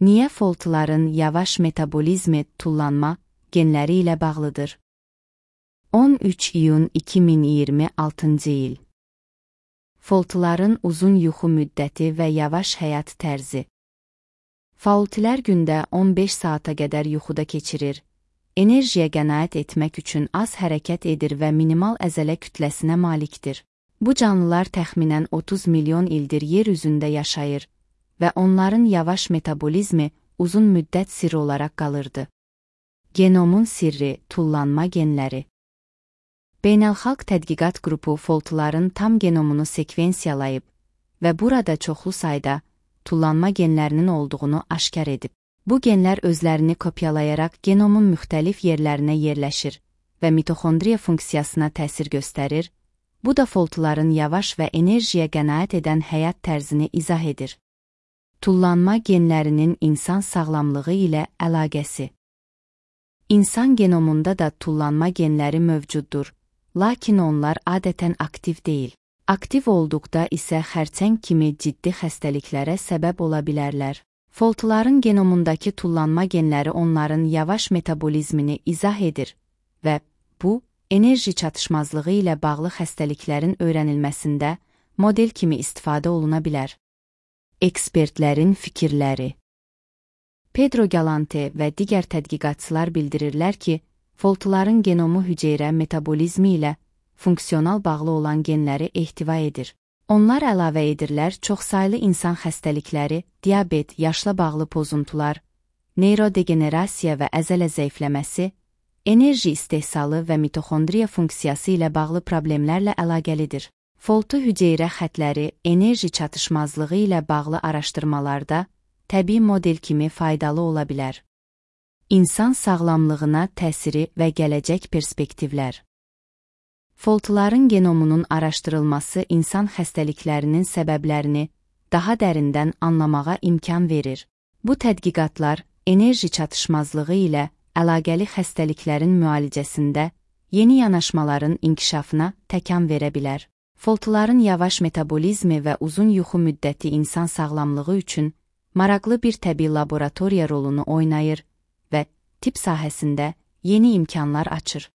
Niyə foltların yavaş metabolizmi tullanma genləri ilə bağlıdır? 13 iyun 2026 il. Foltların uzun yuxu müddəti və yavaş həyat tərzi. Foltlər gündə 15 saata qədər yuxuda keçirir. Enerjiyə qənaət etmək üçün az hərəkət edir və minimal əzələ kütləsinə malikdir. Bu canlılar təxminən 30 milyon ildir yer üzündə yaşayır və onların yavaş metabolizmi uzun müddət sirri olaraq qalırdı. Genomun sirri, tullanma genləri. Beynəlxalq tədqiqat qrupu foltların tam genomunu sekvensiyalayıb və burada çoxlu sayda tullanma genlərinin olduğunu aşkar edib. Bu genlər özlərini kopyalayaraq genomun müxtəlif yerlərinə yerləşir və mitoxondriya funksiyasına təsir göstərir. Bu da foltların yavaş və enerjiyə qənaət edən həyat tərzini izah edir. Tullanma genlərinin insan sağlamlığı ilə əlaqəsi. İnsan genomunda da tullanma genləri mövcuddur, lakin onlar adətən aktiv deyil. Aktiv olduqda isə xərçəng kimi ciddi xəstəliklərə səbəb ola bilərlər. Foltların genomundakı tullanma genləri onların yavaş metabolizmini izah edir və bu, enerji çatışmazlığı ilə bağlı xəstəliklərin öyrənilməsində model kimi istifadə oluna bilər. Ekspertlərin fikirləri. Pedro Galante və digər tədqiqatçılar bildirirlər ki, foltların genomu hüceyrə metabolizmi ilə funksional bağlı olan genləri ehtiva edir. Onlar əlavə edirlər çoxsaylı insan xəstəlikləri, diabet, yaşla bağlı pozuntular, neyrodegenerasiya və əzələ zəifləməsi, enerji istehsalı və mitoxondriya funksiyası ilə bağlı problemlərlə əlaqəlidir. Foltu hüceyrə xətləri enerji çatışmazlığı ilə bağlı araşdırmalarda təbii model kimi faydalı ola bilər. İnsan sağlamlığına təsiri və gələcək perspektivlər. Foltların genomunun araşdırılması insan xəstəliklərinin səbəblərini daha dərindən anlamağa imkan verir. Bu tədqiqatlar enerji çatışmazlığı ilə əlaqəli xəstəliklərin müalicəsində yeni yanaşmaların inkişafına təkan verə bilər. Foltların yavaş metabolizmi və uzun yuxu müddəti insan sağlamlığı üçün maraqlı bir təbii laboratoriya rolunu oynayır və tibb sahəsində yeni imkanlar açır.